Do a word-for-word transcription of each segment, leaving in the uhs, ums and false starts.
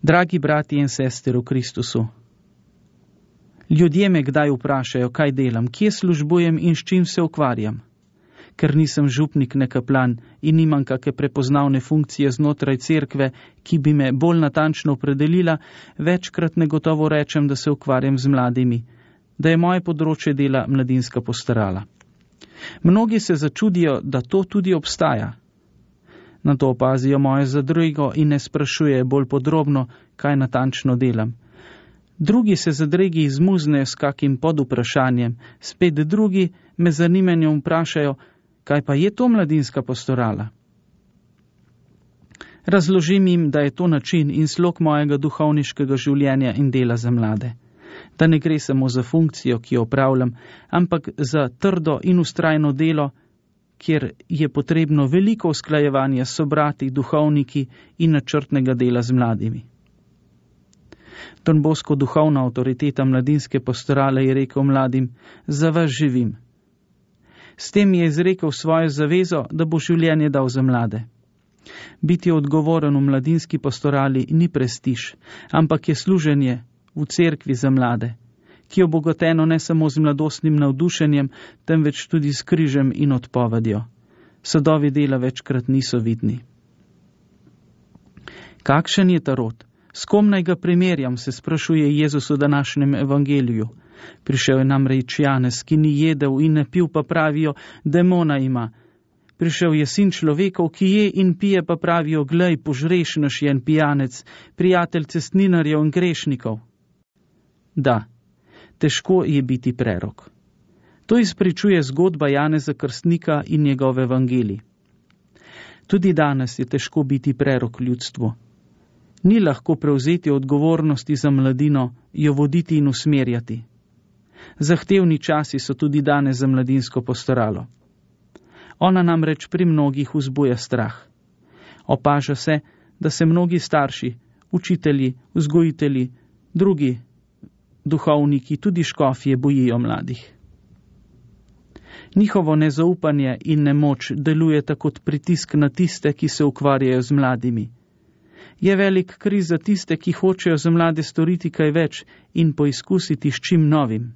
Dragi brati in sestre v Kristusu, ljudje me kdaj vprašajo, kaj delam, kje službujem in s čim se ukvarjam. Ker nisem župnik ne kaplan in nimam kakšne prepoznavne funkcije znotraj cerkve, ki bi me bolj natančno opredelila, večkrat negotovo rečem, da se ukvarjam z mladimi, da je moje področje dela mladinska pastorala. Mnogi se začudijo, da to tudi obstaja. Na to opazijo moje zadrego in ne sprašujejo bolj podrobno, kaj natančno delam. Drugi se zadregi izmuznejo s kakim podvprašanjem, spet drugi me zanimanjem vprašajo, kaj pa je to mladinska pastorala. Razložim jim, da je to način in slog mojega duhovniškega življenja in dela za mlade. Da ne gre samo za funkcijo, ki jo opravljam, ampak za trdo in vztrajno delo, kjer je potrebno veliko usklajevanja s sobrati, duhovniki in načrtnega dela z mladimi. Don Bosco, duhovna avtoriteta mladinske pastorale, je rekel mladim, za vas živim. S tem je izrekel svojo zavezo, da bo življenje dal za mlade. Biti odgovoren v mladinski pastorali ni prestiž, ampak je služenje v cerkvi za mlade, ki je obogateno ne samo z mladostnim navdušenjem, temveč tudi s križem in odpovedjo. Sadovi dela večkrat niso vidni. Kakšen je ta rod? S kom naj ga primerjam, se sprašuje Jezus v današnjem evangeliju. Prišel je namreč Janez, ki ni jedel in ne pil, pa pravijo, demona ima. Prišel je sin človekov, ki je in pije, pa pravijo, glej, požrešnoš je en pijanec, prijatelj cestninarjev in grešnikov. Da, težko je biti prerok. To izpričuje zgodba Janeza Krstnika in njegov evangelij. Tudi danes je težko biti prerok ljudstvu. Ni lahko prevzeti odgovornosti za mladino, jo voditi in usmerjati. Zahtevni časi so tudi danes za mladinsko pastoralo. Ona namreč pri mnogih vzbuja strah. Opaža se, da se mnogi starši, učitelji, vzgojitelji, drugi duhovniki, tudi škofje bojijo mladih. Njihovo nezaupanje in nemoč delujeta kot pritisk na tiste, ki se ukvarjajo z mladimi. Je velik kriz za tiste, ki hočejo za mlade storiti kaj več in poizkusiti s čim novim.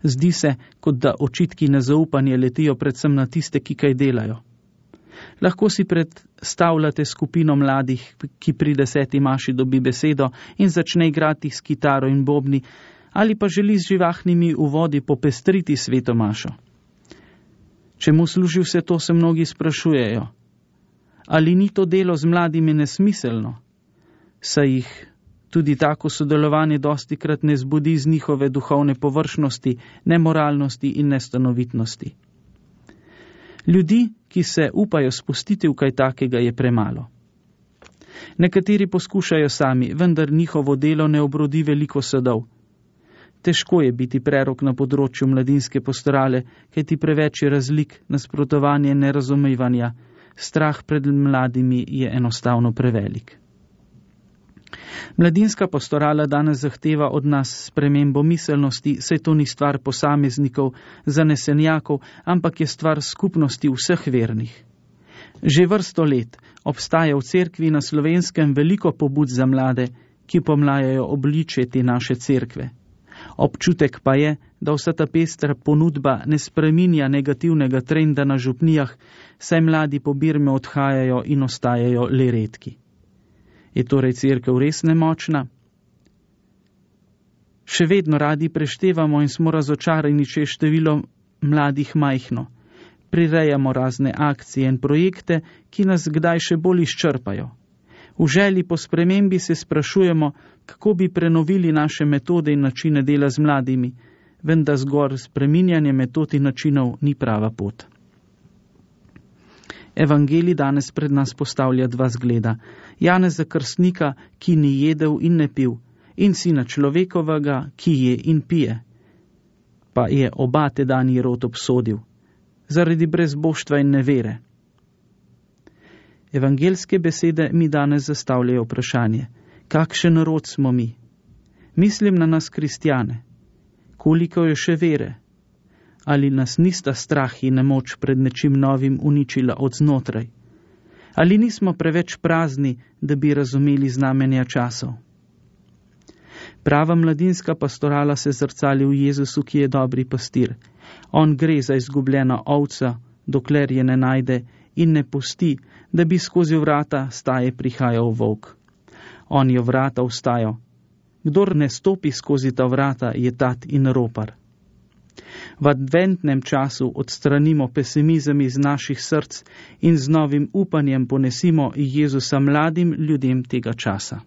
Zdi se, kot da očitki nezaupanja letijo predvsem na tiste, ki kaj delajo. Lahko si predstavljate skupino mladih, ki pri deseti maši dobi besedo in začne igrati s kitaro in bobni, ali pa želi z živahnimi uvodi popestriti sveto mašo. Čemu služi vse to, se mnogi sprašujejo. Ali ni to delo z mladimi nesmiselno? Saj jih tudi tako sodelovanje dostikrat ne zbudi z njihove duhovne površnosti, nemoralnosti in nestanovitnosti. Ljudi, ki se upajo spustiti v kaj takega, je premalo. Nekateri poskušajo sami, vendar njihovo delo ne obrodi veliko sadov. Težko je biti prerok na področju mladinske pastorale, kajti preveč je razlik, nasprotovanje in nerazumevanja. Strah pred mladimi je enostavno prevelik. Mladinska pastorala danes zahteva od nas spremembo miselnosti, saj to ni stvar posameznikov, zanesenjakov, ampak je stvar skupnosti vseh vernih. Že vrsto let obstaja v cerkvi na Slovenskem veliko pobud za mlade, ki pomlajajo obličje te naše cerkve. Občutek pa je, da vsa ta pestra ponudba ne spreminja negativnega trenda na župnijah, saj mladi po Birme odhajajo in ostajajo le redki. Je torej cerkev res nemočna? Še vedno radi preštevamo in smo razočarani, če je število mladih majhno. Prirejamo razne akcije in projekte, ki nas kdaj še bolj izčrpajo. V želji po spremembi se sprašujemo, kako bi prenovili naše metode in načine dela z mladimi, vendar zgolj spreminjanje metod in načinov ni prava pot. Evangelij danes pred nas postavlja dva zgleda. Janeza Krstnika, ki ni jedel in ne pil, in sina človekovega, ki je in pije. Pa je oba tedanji rod obsodil, zaradi brezboštva in nevere. Evangelske besede mi danes zastavljajo vprašanje, kakšen rod smo mi? Mislim na nas kristjane. Koliko je še vere? Ali nas nista strah in nemoč pred nečim novim uničila od znotraj? Ali nismo preveč prazni, da bi razumeli znamenja časov? Prava mladinska pastorala se zrcali v Jezusu, ki je dobri pastir. On gre za izgubljeno ovco, dokler je ne najde, in ne pusti, da bi skozi vrata staje prihajal volk. On je vrata vstajal. Kdor ne stopi skozi ta vrata, je tat in ropar. V adventnem času odstranimo pesimizem iz naših src in z novim upanjem ponesimo Jezusa mladim ljudem tega časa.